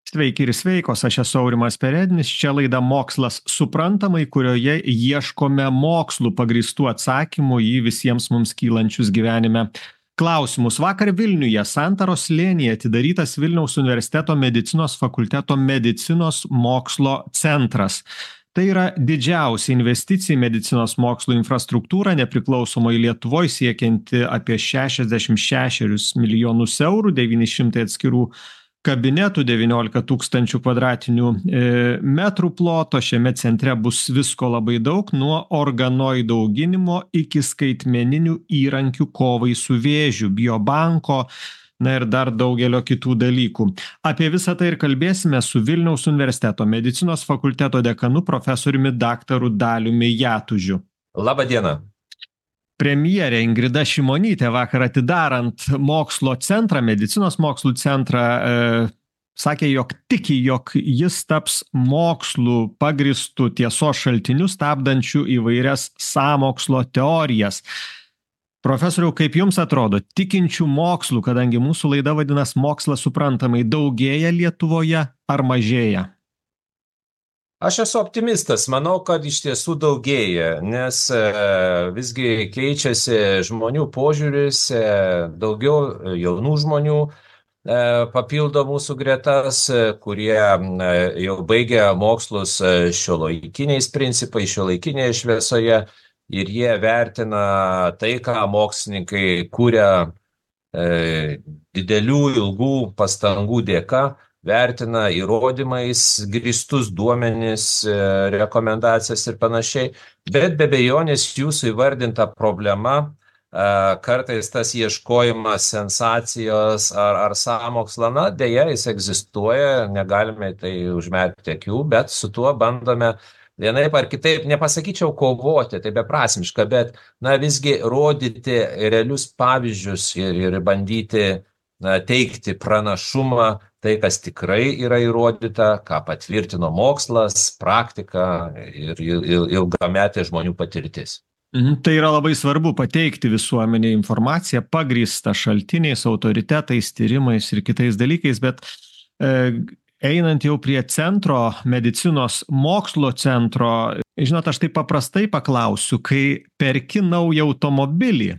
Sveiki ir sveikos, aš esu Aurimas Perednis, čia laida Mokslas suprantamai, kurioje ieškome mokslų pagrįstų atsakymų į visiems mums kylančius gyvenime klausimus. Vakar Vilniuje, Santaros slėnyje atidarytas Vilniaus universiteto medicinos fakulteto medicinos mokslo centras. Tai yra didžiausia investicija į medicinos mokslo infrastruktūrą nepriklausomoje Lietuvoje siekianti apie 66 milijonus eurų, 900 atskirų kabinetų, 19 tūkstančių kvadratinių metrų ploto. Šiame centre bus visko labai daug, nuo organoidų auginimo iki skaitmeninių įrankių kovai su vėžiu, biobanko, na ir dar daugelio kitų dalykų. Apie visą tai ir kalbėsime su Vilniaus universiteto medicinos fakulteto dekanu profesoriumi daktaru Daliumi Jatužiu. Labą dieną. Premjerė Ingrida Šimonytė vakar atidarant mokslo centrą, medicinos mokslų centrą, sakė, jog tiki, jog jis taps mokslų pagrįstų tiesos šaltinių, stabdančių įvairias sąmokslo teorijas. Profesoriau, kaip jums atrodo, tikinčių mokslų, kadangi mūsų laida vadinas Mokslas suprantamai, daugėja Lietuvoje ar mažėja? Aš esu optimistas, manau, kad iš tiesų daugėja, nes visgi keičiasi žmonių požiūris, daugiau jaunų žmonių papildo mūsų gretas, kurie jau baigia mokslus šiuolaikiniais principais, šiuolaikinėje šviesoje, ir jie vertina tai, ką mokslininkai kuria didelių, ilgų pastangų dėka, vertina įrodymais grįstus duomenis, rekomendacijas ir panašiai, bet be abejonės jūsų įvardinta problema, kartais tas ieškojimas sensacijos ar sąmokslo, na, deja, jis egzistuoja, negalime tai užmerkti akių, bet su tuo bandome vienaip ar kitaip, nepasakyčiau kovoti, tai beprasmiška, bet, na, visgi rodyti realius pavyzdžius ir bandyti teikti pranašumą, tai, kas tikrai yra įrodyta, ką patvirtino mokslas, praktika ir ilgametė žmonių patirtis. Tai yra labai svarbu pateikti visuomenei informaciją, pagrįstą šaltiniais, autoritetais, tyrimais ir kitais dalykais, bet einant jau prie centro, medicinos mokslo centro, žinot, aš taip paprastai paklausiu, kai perki naują automobilį,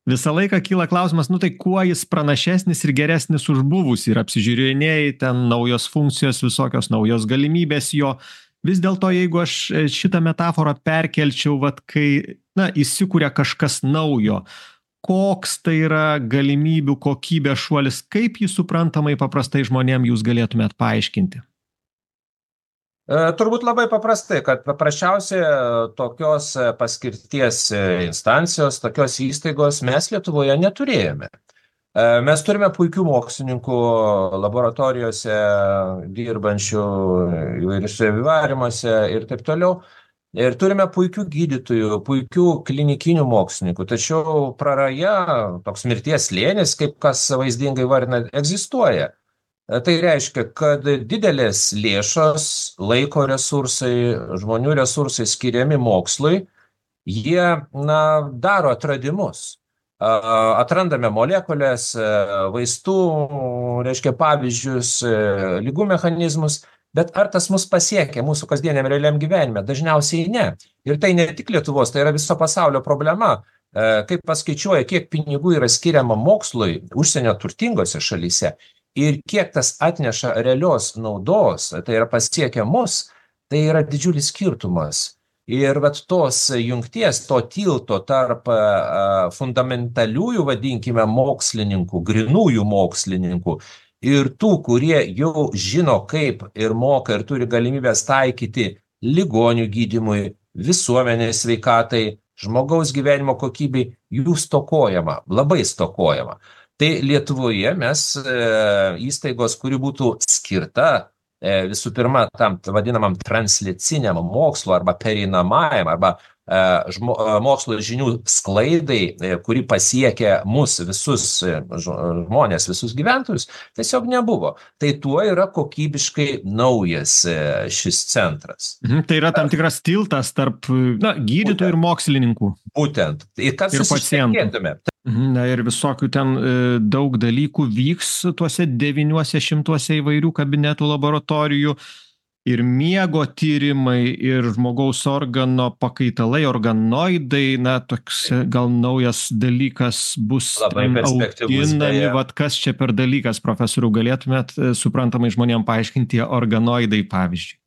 visą laiką kyla klausimas, nu tai kuo jis pranašesnis ir geresnis už buvusį, ir apsižiūrinėjai, ten naujos funkcijos, visokios naujos galimybės jo. Vis dėlto, jeigu aš šitą metaforą perkelčiau, vat kai, na, įsikūrė kažkas naujo, koks tai yra galimybių kokybės šuolis, kaip jį suprantamai paprastai žmonėm jūs galėtumėt paaiškinti? Turbūt labai paprastai, kad paprasčiausiai tokios paskirties instancijos, tokios įstaigos mes Lietuvoje neturėjome. Mes turime puikių mokslininkų laboratorijose, dirbančių įvairiuose vivarimuose ir taip toliau. Ir turime puikių gydytojų, puikių klinikinių mokslininkų, tačiau praraja, toks mirties slėnis, kaip kas vaizdingai vardina, egzistuoja. Tai reiškia, kad didelės lėšos, laiko resursai, žmonių resursai skiriami mokslui, jie, na, daro atradimus. Atrandame molekulės, vaistų, reiškia pavyzdžius, ligų mechanizmus, bet ar tas mus pasiekia mūsų kasdieniam realiam gyvenime? Dažniausiai ne. Ir tai ne tik Lietuvos, tai yra viso pasaulio problema. Kaip paskaičiuoja, kiek pinigų yra skiriama mokslui užsienio turtingose šalyse ir kiek tas atneša realios naudos, tai yra pasiekia mus, tai yra didžiulis skirtumas. Ir vat tos jungties, to tilto tarp fundamentaliųjų, vadinkime, mokslininkų, grynųjų mokslininkų, ir tų, kurie jau žino, kaip ir moka ir turi galimybės taikyti ligonių gydymui, visuomenės sveikatai, žmogaus gyvenimo kokybei, jų stokojama, labai stokojama. Tai Lietuvoje mes įstaigos, kuri būtų skirta visų pirma tam vadinamam transliciniam mokslo arba pereinamajam arba mokslo žinių sklaidai, kuri pasiekia mus visus žmonės, visus gyventojus, tiesiog nebuvo. Tai tuo yra kokybiškai naujas šis centras. Tai yra tam tikras tiltas tarp gydytojų ir mokslininkų. Būtent. Ir kad ir pacientų. Na ir visokių ten daug dalykų vyks tuose 900 įvairių kabinetų laboratorijų. Ir miego tyrimai, ir žmogaus organo pakaitalai, organoidai, na, toks gal naujas dalykas bus Labai ten perspektyvus auginami, beje. vat kas čia per dalykas, profesoriau, galėtumėt suprantamai žmonėm paaiškinti tie organoidai, pavyzdžiui.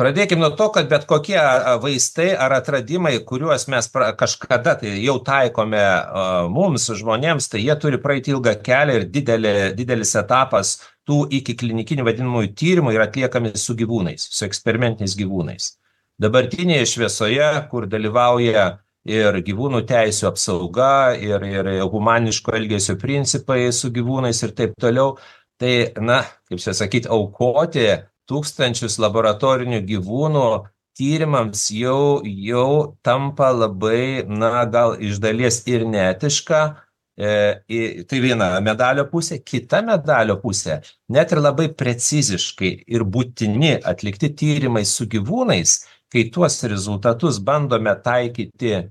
Pradėkime nuo to, kad bet kokie vaistai ar atradimai, kuriuos mes kažkada tai jau taikome mums, žmonėms, tai jie turi praeiti ilgą kelią ir didelis etapas tų iki klinikinių vadinamųjų tyrimų yra atliekami su gyvūnais, su eksperimentiniais gyvūnais. Dabartinėje šviesoje, kur dalyvauja ir gyvūnų teisių apsauga, ir humaniško elgesio principai su gyvūnais ir taip toliau, tai, na, kaip čia sakyti, aukoti tūkstančius laboratorinių gyvūnų tyrimams jau tampa labai, na, gal iš dalies ir neetiška. Tai viena medalio pusė, kita medalio pusė, net ir labai preciziškai ir būtini atlikti tyrimai su gyvūnais, kai tuos rezultatus bandome taikyti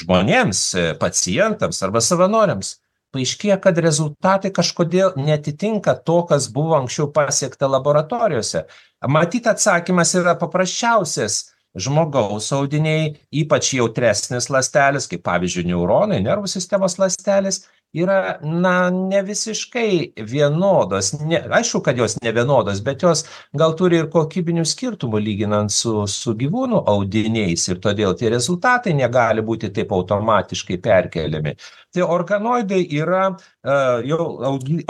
žmonėms, pacientams arba savanoriams, paaiškėja, kad rezultatai kažkodėl netitinka to, kas buvo anksčiau pasiekta laboratorijose. Matyt, atsakymas yra paprasčiausias. Žmogaus audiniai, ypač jautresnis ląstelės, kaip pavyzdžiui neuronai, nervų sistemos ląstelės, yra, na, ne visiškai vienodos. Aišku, kad jos ne vienodos, bet jos gal turi ir kokybinių skirtumų lyginant su gyvūnų audiniais ir todėl tie rezultatai negali būti taip automatiškai perkeliami. Tai organoidai yra jau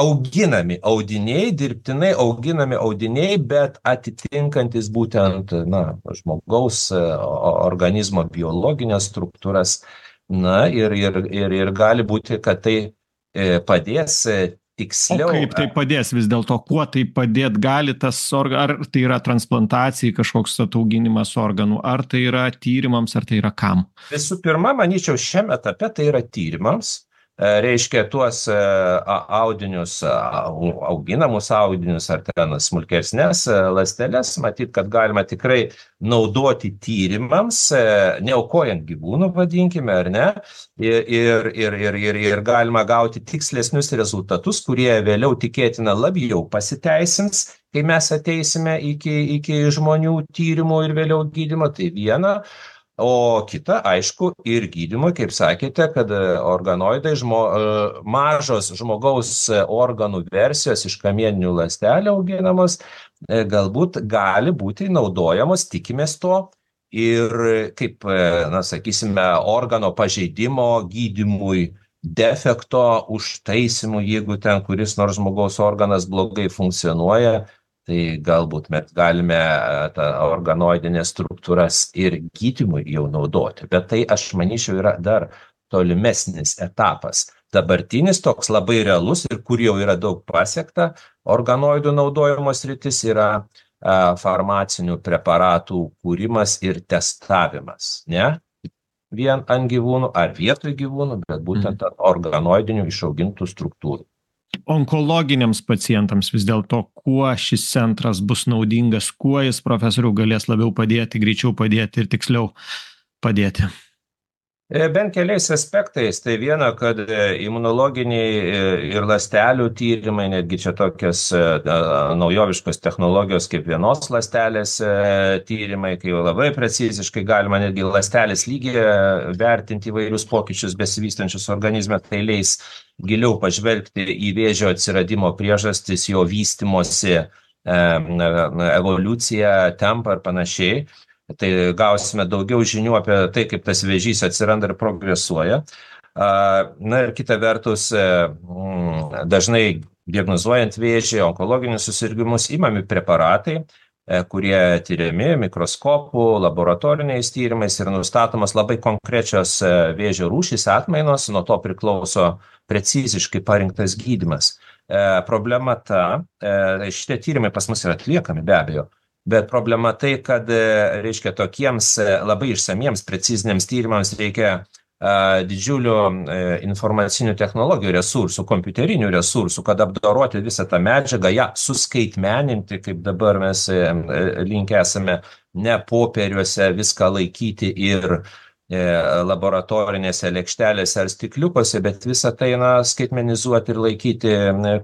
auginami audiniai, dirbtinai auginami audiniai, bet atitinkantis būtent, na, žmogaus organizmo biologinės struktūras. Na ir gali būti, kad tai padės tiksliau. O kaip tai padės vis dėlto? Kuo tai padėt gali tas ar tai yra transplantacijai kažkoks atauginimas organų, ar tai yra tyrimams, ar tai yra kam? Visų pirma, manyčiau, šiame etape tai yra tyrimams. Reiškia tuos audinius, auginamus audinius ar ten smulkesnės ląsteles, matyt, kad galima tikrai naudoti tyrimams, neaukojant gyvūnų, vadinkime, ar ne, ir galima gauti tikslesnius rezultatus, kurie vėliau tikėtina labiau pasiteisins, kai mes ateisime iki žmonių tyrimų ir vėliau gydymo, tai viena. O kita, aišku, ir gydymui, kaip sakėte, kad organoidai, mažos žmogaus organų versijos iš kamieninių ląstelių auginamos, galbūt gali būti naudojamos, tikimės to, ir kaip, na, sakysime, organo pažeidimo gydymui, defekto užtaisimui, jeigu ten kuris nors žmogaus organas blogai funkcionuoja, tai galbūt mes galime tą organoidinės struktūras ir gydymui jau naudoti. Bet tai, aš manyčiau, yra dar tolimesnis etapas. Dabartinis toks labai realus ir kur jau yra daug pasiekta organoidų naudojimo sritis yra farmacinių preparatų kūrimas ir testavimas. Ne vien ant gyvūnų ar vietoj gyvūnų, bet būtent ant organoidinių išaugintų struktūrų. Onkologiniams pacientams vis dėlto, kuo šis centras bus naudingas, kuo jis, profesoriau, galės labiau padėti, greičiau padėti ir tiksliau padėti? Bent keliais aspektais. Tai viena, kad imunologiniai ir ląstelių tyrimai, netgi čia tokios naujoviškos technologijos kaip vienos ląstelės tyrimai, kai jau labai preciziškai galima netgi ląstelės lygyje vertinti įvairius pokyčius besivystančius organizme, tai leis giliau pažvelgti į vėžio atsiradimo priežastis, jo vystymosi, evoliuciją, tempą ir panašiai. Tai gausime daugiau žinių apie tai, kaip tas vėžys atsiranda ir progresuoja. Na ir kita vertus, dažnai diagnozuojant vėžį, onkologinius susirgimus, imami preparatai, kurie tyriami mikroskopų, laboratoriniais tyrimais ir nustatomas labai konkrečios vėžio rūšys, atmainos, nuo to priklauso preciziškai parinktas gydymas. Problema ta, šitie tyrimai pas mus yra atliekami be abejo, bet problema tai, kad, reiškia, tokiems labai išsamiems, preciziniams tyrimams reikia didžiulių informacinių technologijų resursų, kompiuterinių resursų, kad apdoroti visą tą medžiagą, ją suskaitmeninti, kaip dabar mes linkę esame ne popieriuose viską laikyti ir laboratorinėse lėkštelėse ar stikliukose, bet visą tai skaitmenizuoti ir laikyti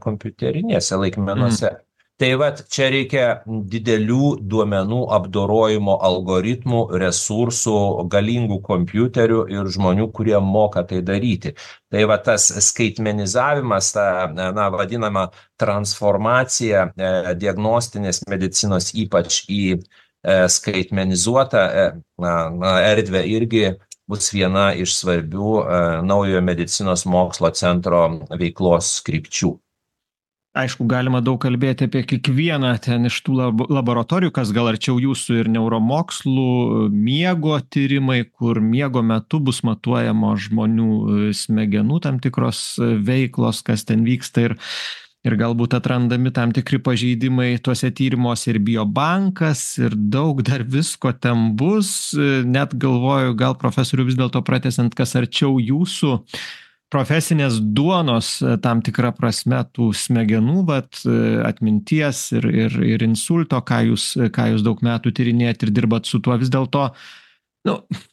kompiuterinėse laikmenuose. Tai vat čia reikia didelių duomenų apdorojimo algoritmų, resursų, galingų kompiuterių ir žmonių, kurie moka tai daryti. Tai va tas skaitmenizavimas, ta vadinama transformacija diagnostinės medicinos ypač į skaitmenizuotą erdvę irgi bus viena iš svarbių naujojo medicinos mokslo centro veiklos krypčių. Aišku, galima daug kalbėti apie kiekvieną ten iš tų laboratorijų, kas gal arčiau jūsų ir neuromokslų, miego tyrimai, kur miego metu bus matuojamo žmonių smegenų tam tikros veiklos, kas ten vyksta ir galbūt atrandami tam tikri pažeidimai tuose tyrimuose ir biobankas ir daug dar visko ten bus. Net galvoju, gal profesorių vis dėlto pratęsiant, kas arčiau jūsų profesinės duonos tam tikrą prasme tų smegenų, bet atminties ir insulto, ką jūs daug metų tyrinėjat ir dirbat su tuo, vis dėlto,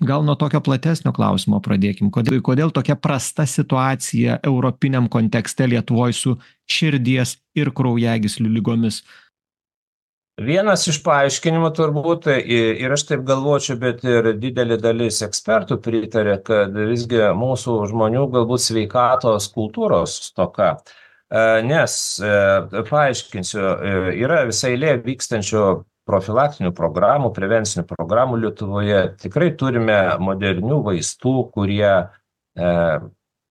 gal nuo tokio platesnio klausimo pradėkim. Kodėl tokia prasta situacija europiniam kontekste Lietuvoje su širdies ir kraujagyslių ligomis? Vienas iš paaiškinimų turbūt, ir aš taip galvočiau, bet ir didelė dalis ekspertų pritarė, kad visgi mūsų žmonių galbūt sveikatos kultūros stoka. Nes, paaiškinsiu, yra visai eilė vykstančių profilaktinių programų, prevencinių programų Lietuvoje. Tikrai turime modernių vaistų, kurie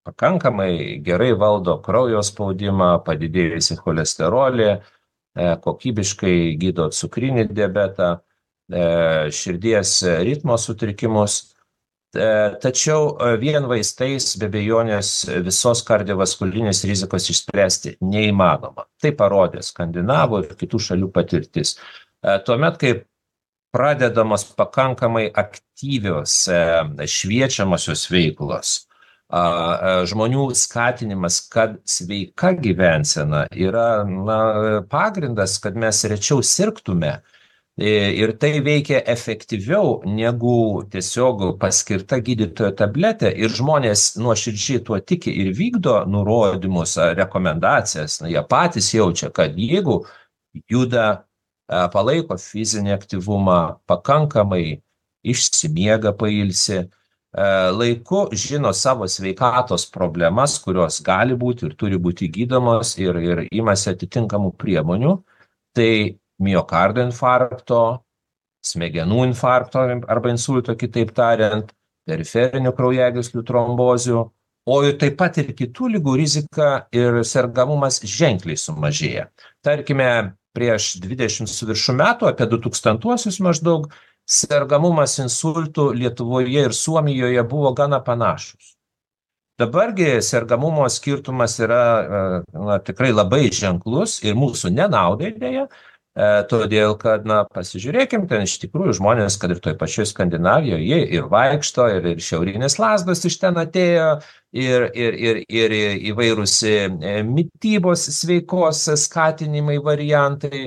pakankamai gerai valdo kraujo spaudimą, padidėjusį cholesterolį, kokybiškai gydo cukrinį diabetą, širdies ritmo sutrikimus. Tačiau vien vaistais be abejonės visos kardiovaskulinės rizikos išspręsti neįmanoma. Tai parodė Skandinavų ir kitų šalių patirtis. Tuomet, kai pradedamos pakankamai aktyvios šviečiamosios veiklos, žmonių skatinimas, kad sveika gyvensena yra pagrindas, kad mes rečiau sirgtume. Ir tai veikia efektyviau negu tiesiog paskirta gydytojo tabletė. Ir žmonės nuoširdžiai tuo tiki ir vykdo nurodymus, rekomendacijas. Jie patys jaučia, kad jeigu juda, palaiko fizinį aktyvumą, pakankamai išsimiega, pailsi, laiku žino savo sveikatos problemas, kurios gali būti ir turi būti gydomos ir imasi atitinkamų priemonių, tai miokardo infarkto, smegenų infarkto arba insulto, kitaip tariant, periferinių kraujagyslių trombozių, o taip pat ir kitų ligų rizika ir sergamumas ženkliai sumažėja. Tarkime, prieš 20 su viršum metų, apie 2000-uosius maždaug, sergamumas insultų Lietuvoje ir Suomijoje buvo gana panašus. Dabargi sergamumo skirtumas yra tikrai labai ženklus ir mūsų nenaudai dėja, todėl kad, pasižiūrėkim, ten iš tikrųjų žmonės, kad ir toj pačioj Skandinavijoje, jie ir vaikšto, ir šiaurinės lazdos iš ten atėjo, ir įvairūs mitybos sveikos skatinimai variantai,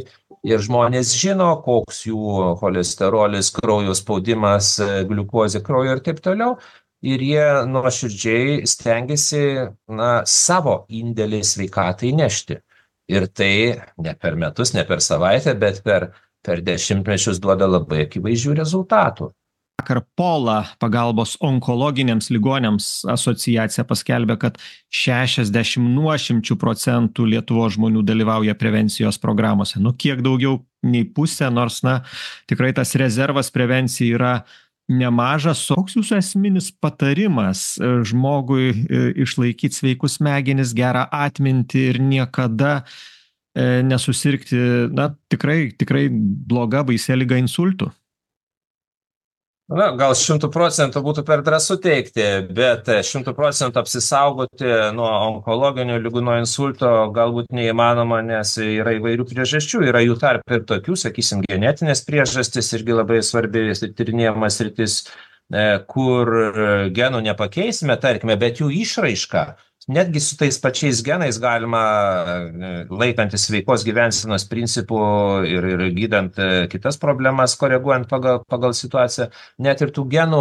ir žmonės žino, koks jų cholesterolis, kraujo spaudimas, gliukozė kraujo ir taip toliau. Ir jie nuoširdžiai stengiasi savo indėlį sveikatai nešti. Ir tai ne per metus, ne per savaitę, bet per dešimtmečius duoda labai akivaizdžių rezultatų. Vakar Pola pagalbos onkologiniams ligoniams asociacija paskelbė, kad 60% Lietuvos žmonių dalyvauja prevencijos programuose. Kiek daugiau nei pusė, nors tikrai tas rezervas prevencijai yra nemažas. Koks jūsų esminis patarimas žmogui išlaikyti sveikus smegenis, gerą atmintį ir niekada nesusirgti, tikrai bloga baisia liga insultų? Gal 100% būtų per drąsu teikti, bet 100% apsisaugoti nuo onkologinių ligų, nuo insulto galbūt neįmanoma, nes yra įvairių priežasčių, yra jų tarp ir tokių, sakysim, genetinės priežastys, irgi labai svarbi tyrinėjamas sritis, kur genų nepakeisime, tarkime, bet jų išraiška, netgi su tais pačiais genais galima, laikantis sveikos gyvensenos principų ir gydant kitas problemas, koreguojant pagal situaciją, net ir tų genų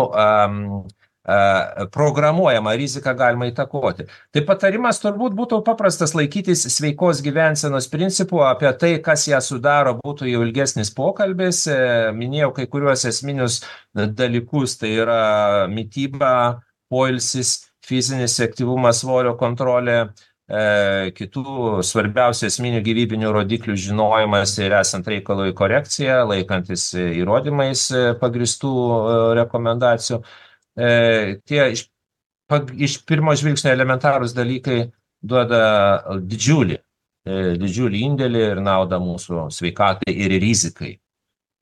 programuojama riziką galima įtakoti. Tai patarimas turbūt būtų paprastas laikytis sveikos gyvensenos principų, apie tai, kas ją sudaro, būtų jau ilgesnis pokalbis. Minėjau kai kuriuos esminius dalykus, tai yra mityba, poilsis, fizinis aktyvumas, svorio kontrolė, kitų svarbiausių esminių gyvybinių rodiklių žinojimas ir esant reikalui korekcija, laikantis įrodymais pagristų rekomendacijų. Tie iš pirmo žvilgsnio elementarūs dalykai duoda didžiulį indėlį ir naudą mūsų sveikatai ir rizikai.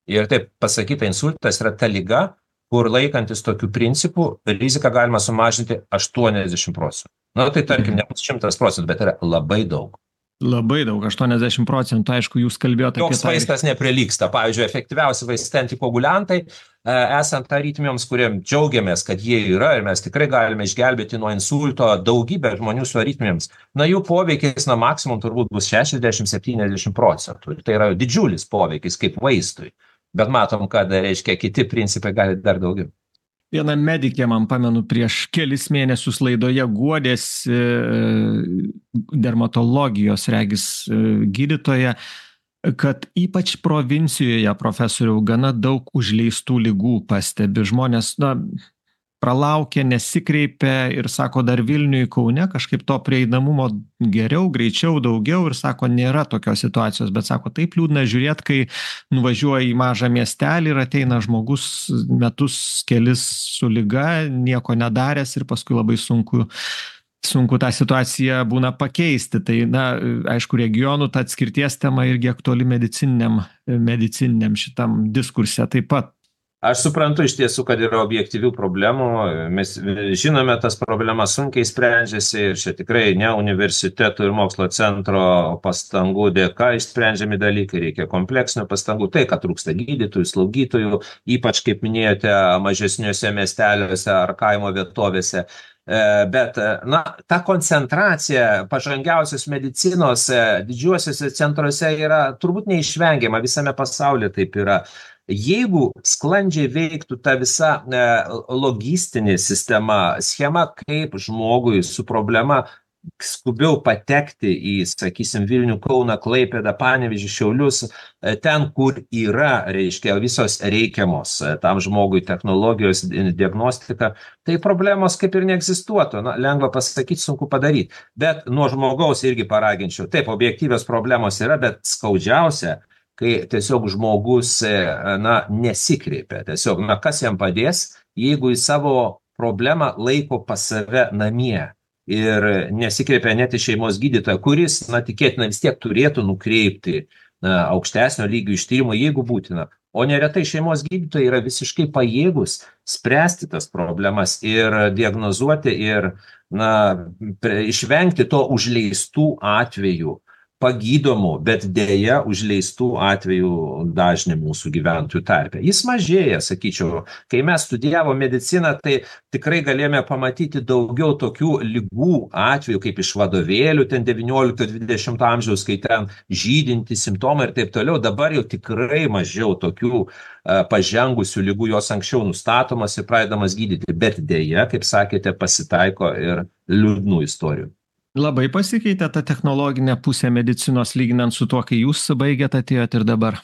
Ir taip pasakyta, insultas yra ta liga, kur laikantis tokių principų, riziką galima sumažinti 80%. Na, tai tarkim, nebus 100%, bet yra labai daug. Labai daug, 80%, aišku, jūs kalbėjote apie tai. Joks vaistas neprilygsta. Pavyzdžiui, efektyviausi vaistai antikoaguliantai, esant aritmijoms, kuriem džiaugiamės, kad jie yra ir mes tikrai galime išgelbėti nuo insulto daugybę žmonių su aritmijoms, na, jų poveikis na maksimum turbūt bus 60-70%. Tai yra didžiulis poveikis kaip vaistui. Bet matom, kad, reiškia, kiti principai gali dar daugiau. Viena medikė, man pamenu, prieš kelis mėnesius laidoje guodėsi dermatologijos, regis, gydytoja, kad ypač provincijoje, profesoriau, gana daug užleistų ligų pastebi. Žmonės, na, pralaukia, nesikreipia ir sako, dar Vilniui, Kaune kažkaip to prieinamumo geriau, greičiau, daugiau ir sako, nėra tokios situacijos, bet sako, taip liūdna žiūrėti, kai nuvažiuoja į mažą miestelį ir ateina žmogus metus kelis su liga, nieko nedaręs ir paskui labai sunku tą situaciją būna pakeisti. Tai, na, aišku, regionų ta atskirties tema irgi aktuali medicininiam šitam diskurse taip pat. Aš suprantu iš tiesų, kad yra objektyvių problemų, mes žinome, tas problemas sunkiai sprendžiasi ir čia tikrai ne universitetų ir mokslo centro pastangų dėka išsprendžiami dalykai, reikia kompleksinių pastangų, tai, kad trūksta gydytojų, slaugytojų, ypač, kaip minėjote, mažesniuose miesteliuose ar kaimo vietovėse. Bet, na, ta koncentracija pažangiausios medicinos didžiuosiuose centruose yra turbūt neišvengiama, visame pasaulyje taip yra. Jeigu sklandžiai veiktų ta visa logistinė sistema, schema, kaip žmogui su problema skubiau patekti į, sakysim, Vilnių, Kauną, Klaipėdą, Panevėžį, Šiaulius, ten, kur yra, reiškia, visos reikiamos tam žmogui technologijos, diagnostika, tai problemos kaip ir neegzistuotų. Na, lengva pasakyti, sunku padaryti. Bet nuo žmogaus irgi paraginčiau. Taip, objektyvios problemos yra, bet skaudžiausia, kai tiesiog žmogus, na, nesikreipia. Tiesiog, na, kas jam padės, jeigu į savo problemą laiko pas save namie ir nesikreipia net į šeimos gydytoją, kuris, na, tikėtina vis tiek turėtų nukreipti aukštesnio lygio ištyrimo, jeigu būtina. O neretai šeimos gydytojai yra visiškai pajėgus spręsti tas problemas ir diagnozuoti ir, na, išvengti to užleistų atvejų, pagydomų, bet dėja užleistų atvejų dažnį mūsų gyventojų tarpe. Jis mažėja, sakyčiau. Kai mes studijavo mediciną, tai tikrai galėjome pamatyti daugiau tokių ligų atvejų, kaip iš vadovėlių, ten 19-20 amžiaus, kai ten žydinti simptomai ir taip toliau. Dabar jau tikrai mažiau tokių pažengusių ligų, jos anksčiau nustatomas ir pradedamas gydyti. Bet dėja, kaip sakėte, pasitaiko ir liūdnų istorijų. Labai pasikeitė ta technologinė pusė medicinos lyginant su tuo, kai jūs baigėt, atėjot ir dabar?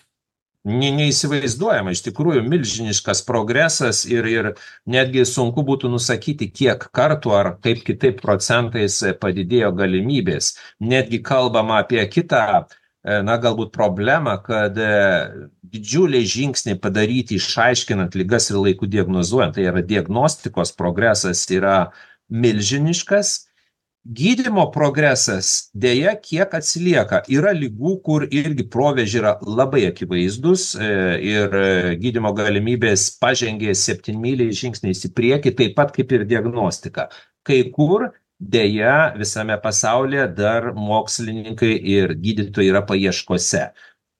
Neįsivaizduojama, iš tikrųjų milžiniškas progresas ir netgi sunku būtų nusakyti, kiek kartų ar kaip kitaip procentais padidėjo galimybės. Netgi kalbama apie kitą, na, galbūt problemą, kad didžiuliai žingsniai padaryti išaiškinant ligas ir laiku diagnozuojant, tai yra diagnostikos progresas yra milžiniškas. Gydymo progresas dėja kiek atsilieka. Yra ligų, kur irgi proveržiai yra labai akivaizdus ir gydymo galimybės pažengė 7-myliais žingsniais į priekį, taip pat kaip ir diagnostika. Kai kur dėja visame pasaulyje dar mokslininkai ir gydytojai yra paieškose.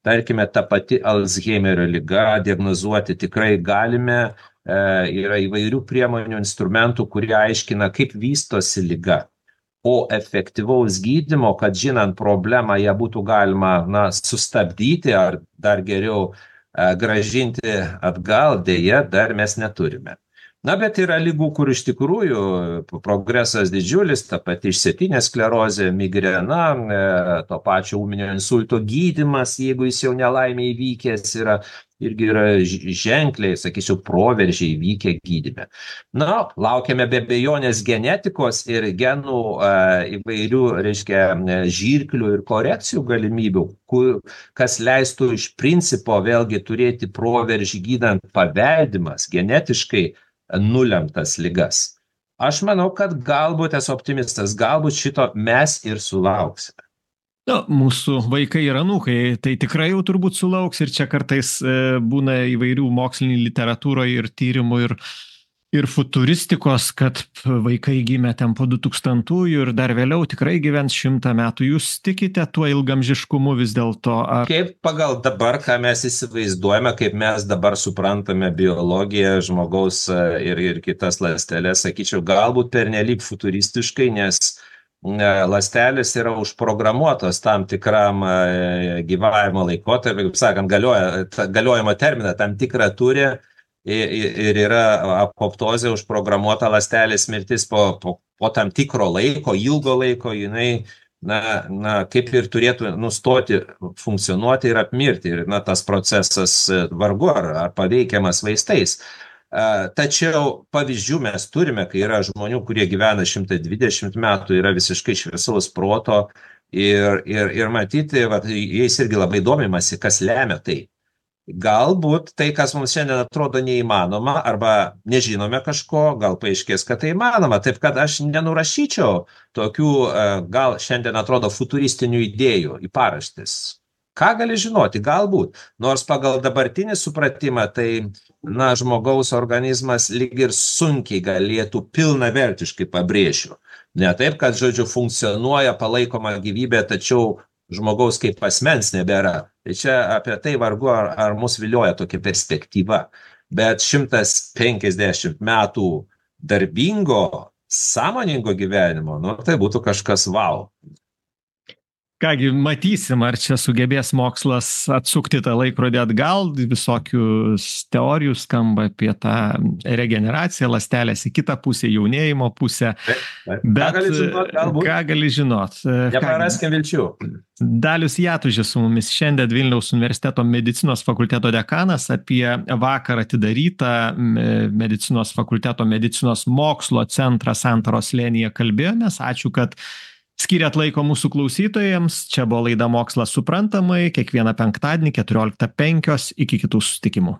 Tarkime, ta pati Alzheimerio liga diagnozuoti tikrai galime, yra įvairių priemonių, instrumentų, kurie aiškina, kaip vystosi liga. O efektyvaus gydymo, kad žinant problemą, ją būtų galima, na, sustabdyti ar dar geriau grąžinti atgal, dėja, dar mes neturime. Na, bet yra ligų, kur iš tikrųjų progresas didžiulis, ta pati išsėtinė sklerozė, migrena, to pačio ūminio insulto gydymas, jeigu jis jau nelaimė įvykęs yra, irgi yra ženkliai, sakyčiau, proveržiai įvykę gydyme. Na, laukiame be abejonės genetikos ir genų įvairių, reiškia, žirklių ir korekcijų galimybių, kas leistų iš principo vėlgi turėti proveržį gydant paveldimas genetiškai nulemtas ligas. Aš manau, kad galbūt esu optimistas, galbūt šito mes ir sulauksime. Na, mūsų vaikai ir anūkai tai tikrai jau turbūt sulauks ir čia kartais būna įvairių mokslinių literatūroje ir tyrimų ir futuristikos, kad vaikai gimė ten po 2000-ųjų ir dar vėliau tikrai gyvens 100 metų. Jūs tikite tuo ilgamžiškumu vis dėlto? Ar... Kaip pagal dabar, ką mes įsivaizduojame, kaip mes dabar suprantame biologiją, žmogaus ir kitas ląsteles, sakyčiau, galbūt pernelyg futuristiškai, nes ląstelės yra užprogramuotos tam tikram gyvavimo laikotarpiu, kaip sakant, galiojimo terminą tam tikrą turi. Ir yra apoptozė užprogramuota ląstelės mirtis po tam tikro laiko, ilgo laiko, jinai, kaip ir turėtų nustoti funkcionuoti ir apmirti. Ir, tas procesas vargu ar paveikiamas vaistais. Tačiau pavyzdžių mes turime, kai yra žmonių, kurie gyvena 120 metų, yra visiškai šviesaus proto ir matyti, jais irgi labai domimasi, kas lemia tai. Galbūt tai, kas mums šiandien atrodo neįmanoma arba nežinome kažko, gal paaiškės, kad tai įmanoma. Taip kad aš nenurašyčiau tokių, gal šiandien atrodo futuristinių idėjų į paraštis. Ką gali žinoti? Galbūt. Nors pagal dabartinį supratimą, tai žmogaus organizmas lyg ir sunkiai galėtų pilnavertiškai, pabrėšiu. Ne taip, kad, žodžiu, funkcionuoja palaikoma gyvybė, tačiau žmogaus kaip asmens nebėra. Tai čia apie tai vargu ar mus vilioja tokia perspektyva. Bet 150 metų darbingo, sąmoningo gyvenimo, tai būtų kažkas wow. Kągi, matysim, ar čia sugebės mokslas atsukti tą laikrodį atgal, visokių teorijų skamba apie tą regeneraciją, ląstelės į kitą pusę, jaunėjimo pusę. Bet ką gali žinot? Nepraraskim vilčių. Dalius Jatužis su mumis šiandien, Vilniaus universiteto medicinos fakulteto dekanas, apie vakar atidarytą medicinos fakulteto medicinos mokslo centrą Santaros slėnyje kalbėjomės. Ačiū, kad skiriat laiko mūsų klausytojams. Čia buvo laida Mokslas suprantamai, kiekvieną penktadienį 14:05. Iki kitų susitikimų.